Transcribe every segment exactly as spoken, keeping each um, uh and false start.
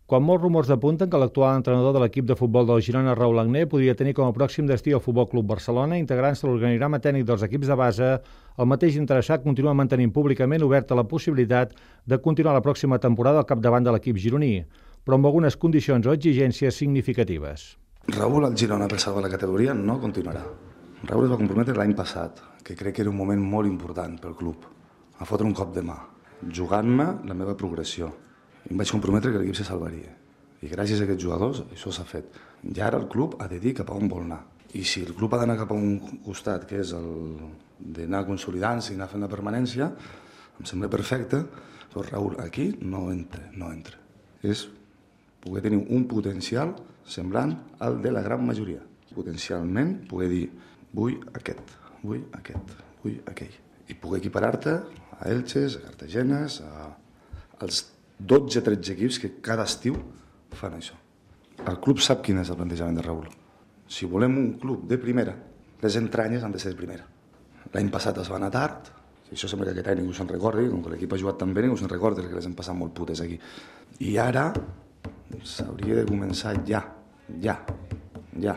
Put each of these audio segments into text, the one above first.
Quan molts rumors apunten que l'actual entrenador de l'equip de futbol del Girona, Raül Agné, podria tenir com a pròxim destí el Futbol Club Barcelona, integrant-se a l'organigrama tècnic dels equips de base, el mateix interessat continua mantenint públicament oberta la possibilitat de continuar la pròxima temporada al capdavant de l'equip gironí, però amb algunes condicions o exigències significatives. Raül al Girona per salvar la categoria no continuarà. Raül es va comprometre l'any passat, que crec que era un moment molt important pel club, a fotre un cop de mà, jugant-me la meva progressió. I em vaig comprometre que l'equip se salvaria. I gràcies a aquests jugadors això s'ha fet. I ara el club ha de dir cap a on vol anar. I si el club ha d'anar cap a un costat, que és el d'anar consolidant-se i anar fent la permanència, em sembla perfecte, però Raül aquí no entra, no entra. És poder tenir un potencial semblant al de la gran majoria. Potencialment poder dir, vull aquest, vull aquest, vull aquell. I poder equiparar-te a Elxes, a Cartagenes, a, als dotze o tretze equips que cada estiu fan això. El club sap quin és el plantejament de Raül. Si volem un club de primera, les entranyes han de ser de primera. L'any passat es va anar tard, i això sembla que aquest any ningú se'n recordi, com que l'equip ha jugat tan bé, ningú se'n recorda que les hem passat molt putes aquí. I ara s'hauria de començar ja, ja, ja.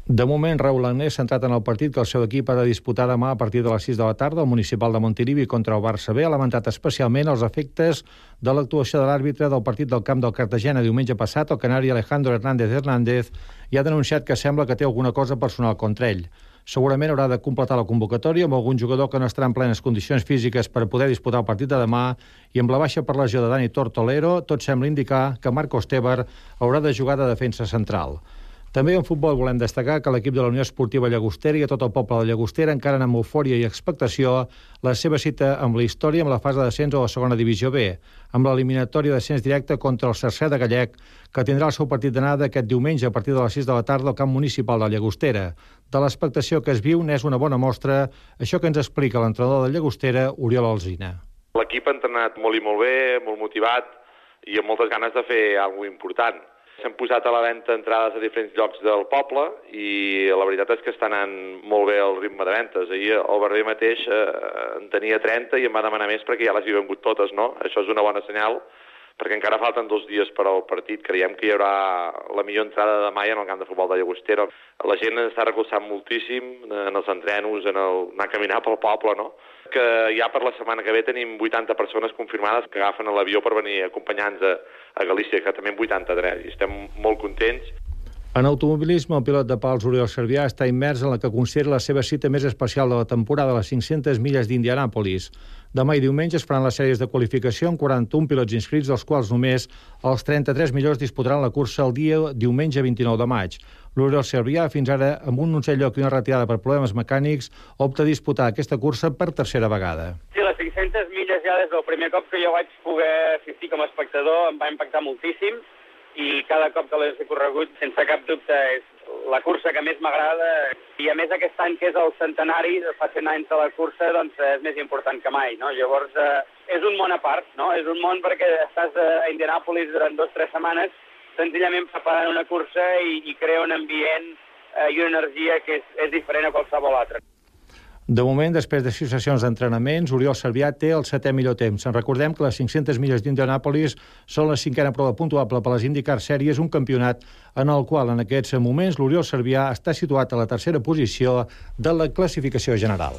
De moment, Raül Agné s'ha centrat en el partit que el seu equip ha de disputar demà a partir de les sis de la tarda al Municipal de Montilivi contra el Barça B. Ha lamentat especialment els efectes de l'actuació de l'àrbitre del partit del camp del Cartagena diumenge passat, el canari Alejandro Hernández Hernández, i ha denunciat que sembla que té alguna cosa personal contra ell. Segurament haurà de completar la convocatòria amb algun jugador que no estarà en plenes condicions físiques per poder disputar el partit de demà, i amb la baixa per lesió de Dani Tortolero, tot sembla indicar que Marcos Tebar haurà de jugar de defensa central. També en futbol volem destacar que l'equip de la Unió Esportiva Llagostera i a tot el poble de Llagostera encaren amb eufòria i expectació la seva cita amb la història amb la fase d'ascens a la segona divisió B, amb l'eliminatòria d'ascens directe contra el Cercer de Gallec, que tindrà el seu partit d'anada aquest diumenge a partir de les sis de la tarda al camp municipal de Llagostera. De l'expectació que es viu n'és una bona mostra això que ens explica l'entrenador de Llagostera, Oriol Alsina. L'equip ha entrenat molt i molt bé, molt motivat i amb moltes ganes de fer alguna cosa important. S'han posat a la venda entrades a diferents llocs del poble i la veritat és que està anant molt bé el ritme de ventes. Ahir el Barber mateix eh, en tenia trenta i em va demanar més perquè ja les hi he vengut totes, no? Això és una bona senyal, perquè encara falten dos dies per al partit. Creiem que hi haurà la millor entrada de mai en el camp de futbol de Llagostera. La gent està recolzant moltíssim en els entrenos, en el anar a caminar pel poble, no? Que ja per la setmana que ve tenim vuitanta persones confirmades que agafen l'avió per venir acompanyants a, a Galícia, que també en vuitanta-tres, i estem molt contents. En automobilisme, el pilot de pals Oriol Servià està immers en la que considera la seva cita més especial de la temporada, les cinc-centes milles d'Indianàpolis. Demà i diumenge es faran les sèries de qualificació amb quaranta-un pilots inscrits, dels quals només els trenta-tres millors disputaran la cursa el dia diumenge vint-i-nou de maig. L'Oriol Servià, fins ara amb un onzè lloc i una retirada per problemes mecànics, opta a disputar aquesta cursa per tercera vegada. Sí, les cinc-centes milles ja des del primer cop que jo vaig poder assistir com a espectador em va impactar moltíssim, i cada cop que l'he corregut, sense cap dubte, és la cursa que més m'agrada. I a més aquest any, que és el centenari, fa cent anys de la cursa, doncs és més important que mai, no? Llavors, eh, és un món a part, no? És un món perquè estàs a Indianàpolis durant dues o tres setmanes, senzillament preparant una cursa i, i crea un ambient eh, i una energia que és, és diferent a qualsevol altra. De moment, després de sis sessions d'entrenaments, Oriol Servià té el setè millor temps. En recordem que les cinc-centes milles d'Indianàpolis són la cinquena prova puntuable per les IndyCar Series, un campionat en el qual en aquests moments l'Oriol Servià està situat a la tercera posició de la classificació general.